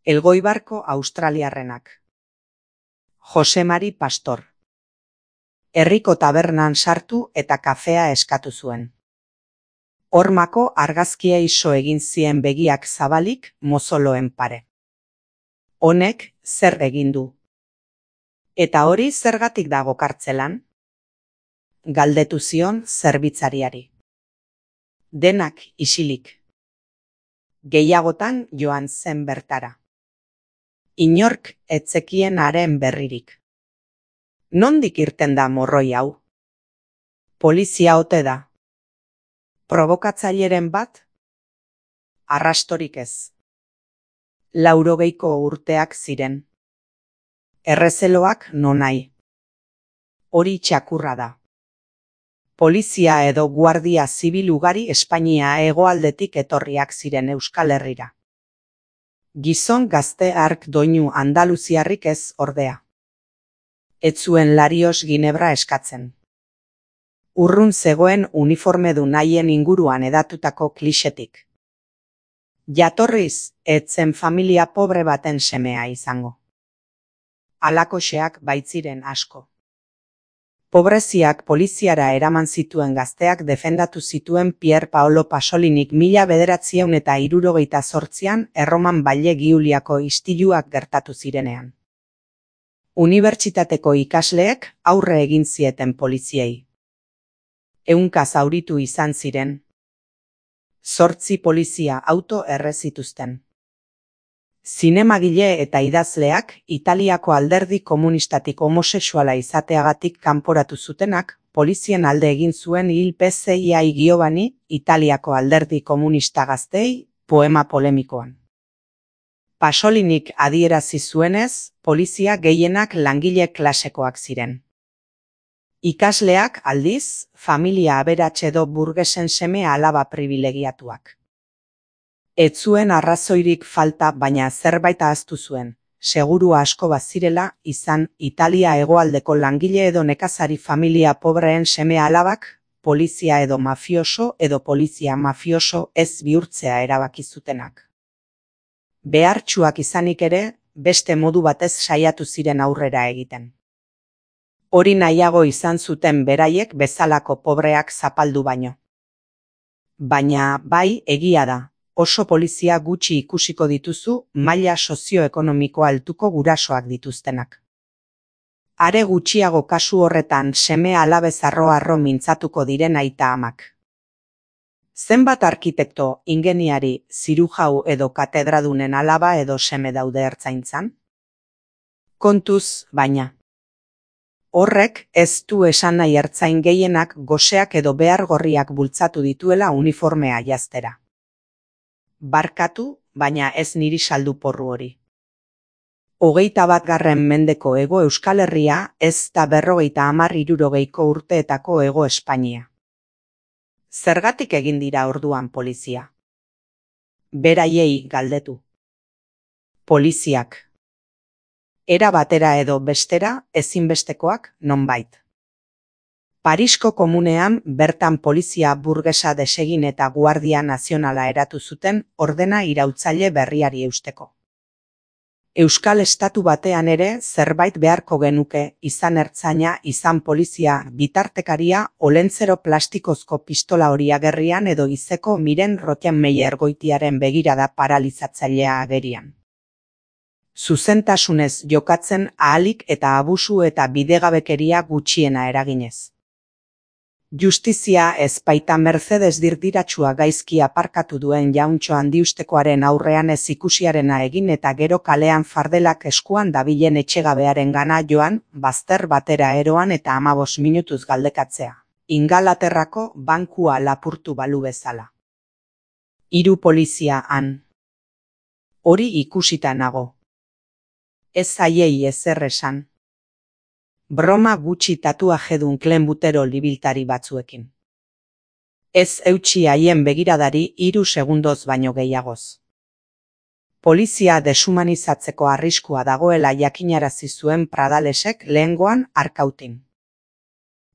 Elgoibarko australiarrenak. Jose Mari Pastor. Herriko tabernan sartu eta kafea eskatu zuen. Hormako argazkia iso egin zien begiak zabalik mozoloen pare. Honek zer egin du? Eta hori zergatik dago kartzelan? Galdetu zion zerbitzariari. Denak isilik. Gehiagotan joan zen bertara. Inork etzekien haren berririk. Nondik irten da morroi hau? Polizia ote da. Provokatzaileren bat? Arrastorik ez. 80 urteak ziren. Errezeloak nonai. Hori txakurra da. Polizia edo guardia zibil ugari Espainia hegoaldetik etorriak ziren Euskal Herrira. Gizon gazte hark doinu andaluziarrik ez ordea. Ez zuen Larios Ginebra eskatzen. Urrun zegoen uniformedun haien inguruan edatutako klixetik. Jatorriz, ez zen familia pobre baten semea izango. Halakoxeak baitziren asko. Pobreziak poliziara eraman zituen gazteak defendatu zituen Pier Paolo Pasolinik 1968an Erroman Baile Giuliako istiluak gertatu zirenean. Unibertsitateko ikasleek aurre egin zieten poliziei. 100 zauritu izan ziren. 8 polizia auto erre zituzten. Zinemagile eta idazleak Italiako alderdi komunistatik homosexuala izateagatik kanporatu zutenak, polizien alde egin zuen hil PCI Giovanni, Italiako alderdi komunista gaztei, poema polemikoan. Pasolinik adierazi zuenez, polizia gehienak langile klasekoak ziren. Ikasleak aldiz, familia aberats edo burgesen seme alaba pribilegiatuak. Ez zuen arrazoirik falta, baina zerbait ahaztu zuen, seguru asko bazirela izan Italia hegoaldeko langile edo nekazari familia pobreen seme alabak, polizia edo mafioso edo polizia mafioso ez bihurtzea erabaki zutenak. Behartsuak izanik ere, beste modu batez saiatu ziren aurrera egiten. Hori nahiago izan zuten beraiek bezalako pobreak zapaldu baino. Baina bai, egia da. Oso polizia gutxi ikusiko dituzu maila sozioekonomiko altuko gurasoak dituztenak. Are gutxiago kasu horretan seme alabez arro mintzatuko diren aita amak. Zenbat arkitekto, ingeniari, zirujau edo katedradunen alaba edo seme daude ertzaintzan? Kontuz, baina. Horrek ez du esan nahi ertzain gehienak goseak edo behar gorriak bultzatu dituela uniformea jaztera. Barkatu, baina ez niri saldu porru hori. 21. mendeko Hego Euskal Herria ez da 50–60 urteetako Hego Espainia. Zergatik egin dira orduan polizia? Beraiei galdetu. Poliziak. Era batera edo bestera ezinbestekoak nonbait. Parisko komunean bertan polizia burgesa desegin eta guardia nazionala eratu zuten ordena iraultzaile berriari eusteko. Euskal Estatu batean ere zerbait beharko genuke, izan ertzaina, izan polizia, bitartekaria, olentzero plastikozko pistola hori agerrian edo izeko Miren Rottenmeier goitiaren begirada paralizatzailea agerian. Zuzentasunez jokatzen ahalik eta abusu eta bidegabekeria gutxiena eraginez. Justizia ez baita Mercedes dirdiratsua gaizki aparkatu duen jauntxo handiustekoaren aurrean ez ikusiarena egin eta gero kalean fardelak eskuan dabilen etxegabearen gana joan, bazter batera eroan eta 15 minutuz galdekatzea. Ingalaterrako bankua lapurtu balu bezala. 3 polizia han. Hori ikusita nago. Ez zaiei ezer esan. Broma gutxi tatuajedun klenbutero libiltari batzuekin. Ez eutsi haien begiradari 3 segundoz baino gehiagoz. Polizia deshumanizatzeko arriskua dagoela jakinarazi zuen Pradalesek lehengoan Arkautin.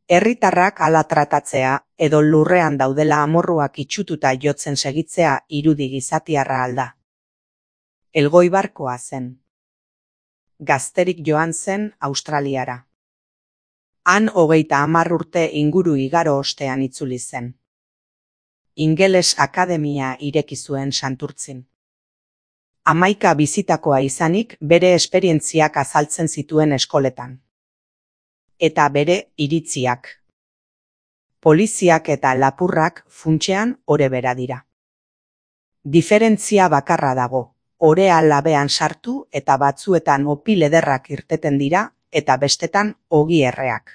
Herritarrak hala tratatzea edo lurrean daudela amorruak itxututa jotzen segitzea irudi gizatiarra alda. Elgoibarkoa zen. Gazterik joan zen Australiara. Han 30 urte inguru igaro ostean itzuli zen. Ingeles akademia ireki zuen Santurtzin. 11 bizitakoa izanik bere esperientziak azaltzen zituen eskoletan. Eta bere iritziak. Poliziak eta lapurrak funtsean ore bera dira. Diferentzia bakarra dago, orea labean sartu eta batzuetan opil ederrak irteten dira eta bestetan ogi erreak.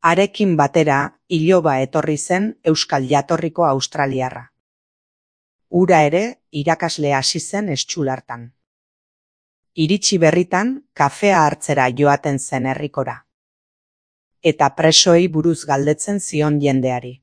Harekin batera, iloba etorri zen euskal jatorriko australiarra. Ura ere, irakasle hasi zen Estxulartan. Iritsi berritan, kafea hartzera joaten zen herrikora. Eta presoei buruz galdetzen zion jendeari.